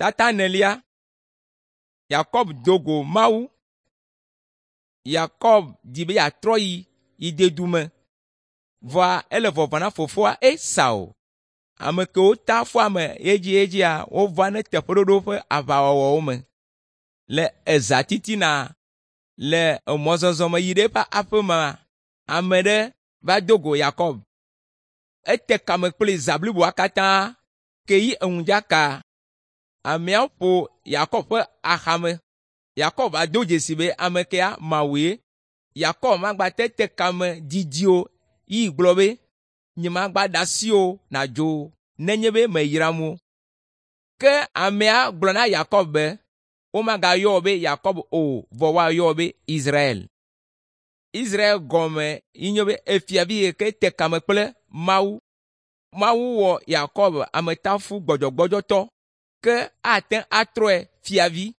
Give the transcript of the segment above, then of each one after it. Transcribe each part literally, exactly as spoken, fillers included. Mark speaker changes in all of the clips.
Speaker 1: Tata enelia. Yakob do go Mawu. Yakob di be yeatrɔ yi yi dedu me, vɔa ele vɔvɔ̃ na fofoa Esau. Ame kewo ta foame edziedzia wova ne teƒeɖoɖo ƒe aʋawɔwɔwo me. Le eza titina le emɔzɔzɔ me yi ɖe eƒe aƒe mea, ame ɖe va do go Yakob. Ete kame kpli zã bliboa katã ke yi eŋudzaka. Amea ƒo Yakob ƒe axame. Yakob va do dzesi be ame kea Mawue. Yakob magbate te kame didi o yi gblɔ be, “Nyemagba ɖe asi wò nàdzo o nenye be mèyram o.” Ke amea gblɔ na Yakob be, “Womagayɔ wò be Yakob o, vɔ woayɔ wò be Israel.” Israel gɔme yi nye be efiavi yi ke te kame kple Mawu. Mawu wɔ Yakob ametafu gbɔdzɔgbɔdzɔtɔ ke ate ŋu atrɔe fiavi.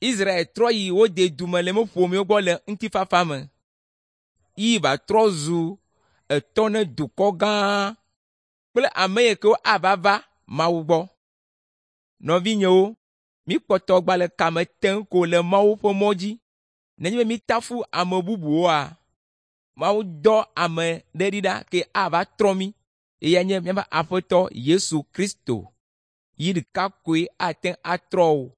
Speaker 1: Israel trɔ yi wo dedu me le eƒe ƒomewo gbɔ le ŋutifafa me. Yi va trɔ zu etɔ ne dukɔ gã kple ame yi kewo ava va Mawu gbɔ. Nɔvinyewo, míkpɔtɔ gba le kame tem ko le Mawu ƒe mɔ dzi. Nenye be mítafu ame bubuwoa, Mawu dɔ ame ɖe ɖi ɖa ke ava trɔ mí. Eyae nye míaƒe Aƒetɔ Yesu Kristo. Yi ɖeka koe ate ŋu atrɔ wò.